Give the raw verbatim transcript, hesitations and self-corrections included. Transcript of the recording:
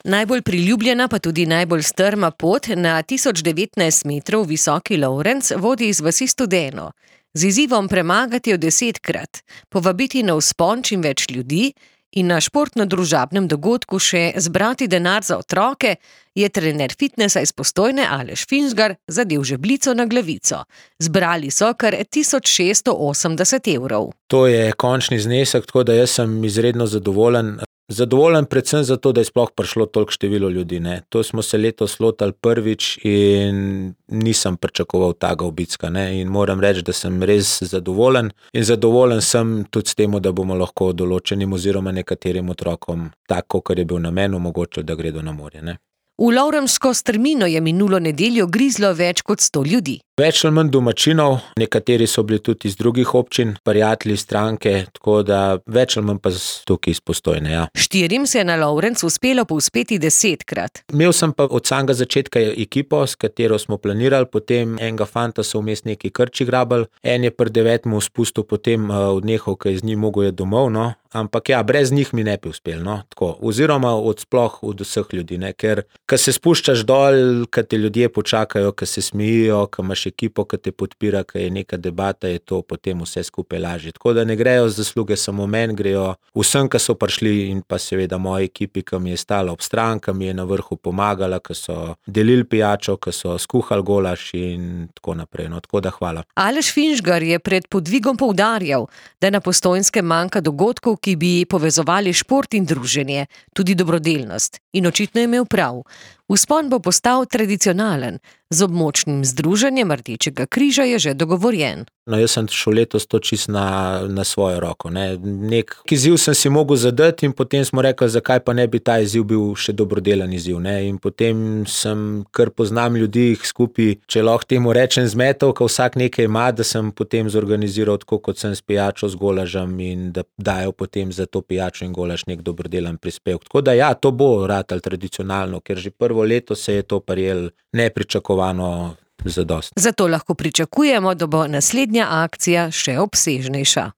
Najbolj priljubljena pa tudi najbolj strma pot na tisoč devetnajst metrov visoki Lovrenc vodi iz vasi Studeno. Z izzivom premagati jo desetkrat, povabiti na vzpon čim več ljudi in na športno-družabnem dogodku še zbrati denar za otroke, je trener fitnesa iz Postojne Aleš Finžgar zadel žebljico na glavico. Zbrali so kar tisoč šeststo osemdeset evrov. To je končni znesek, tako da jaz sem izredno zadovoljen. Zadovoljen predvsem zato, da je sploh prišlo toliko število ljudi, ne. To smo se letos lotili prvič in nisem pričakoval takega obicka, ne. In moram reči, da sem res zadovoljen in zadovoljen sem tudi s tem, da bomo lahko določenim oziroma nekaterim otrokom tako, kar je bil namen, omogočili, da gredo na morje, ne. V Lovremško strmino je minulo nedeljo grizlo več kot sto ljudi. Več ali manj domačinov, nekateri so bili tudi iz drugih občin, prijatelji, stranke, tako da več ali manj pa tukaj iz Postojne, ja. Štirim se je na Lovrenc uspelo povzpeti desetkrat. Imel sem pa od samega začetka ekipo, s katero smo planirali, potem enega fanta so vmes neki krči grabili, en je pri devetem spustil potem odnehal, ker je z njim mogel je domov, no. Ampak ja, brez njih mi ne bi uspel, no, tako. Oziroma od sploh od vseh ljudi, ne, ker ko se spuščaš dol, ko te ljudje počakajo, ko se smejijo, ko imaš ekipo, ki te podpira, ko je neka debata, je to potem vse skupaj lažje. Tako da ne grejo zasluge samo meni, grejo vsem, ki so prišli in pa seveda moji ekipi, ki mi je stala ob stran, ki mi je na vrhu pomagala, ki so delili pijačo, ki so skuhali golaž in tako naprej, no, tako da hvala. Aleš Finžgar je pred podvigom poudarjal, da na Postojnskem manjka dogodkov, ki bi povezovali šport in druženje, tudi dobrodelnost. In očitno je imel prav. Vzpon bo postal tradicionalen, z območnim združenjem Rdečega križa je že dogovorjen. No, jaz sem šel letos to čisto na, na svojo roko, ne. Nek izziv sem si mogel zadati in potem smo rekli, zakaj pa ne bi ta izziv bil še dobrodelen izziv, ne. In potem sem, kar poznam ljudi skupaj, če lahko temu rečem zmetov, ko vsak nekaj ima, da sem potem zorganiziral tako, kot sem s pijačo, z golažem in da dajo potem za to pijačo in golaž nek dobrodelen prispevek. Tako da ja, to bo ratalo tradicionalno, ker že prvo leto se je to prijelo nepričakovano zadosti. Zato lahko pričakujemo, da bo naslednja akcija še obsežnejša.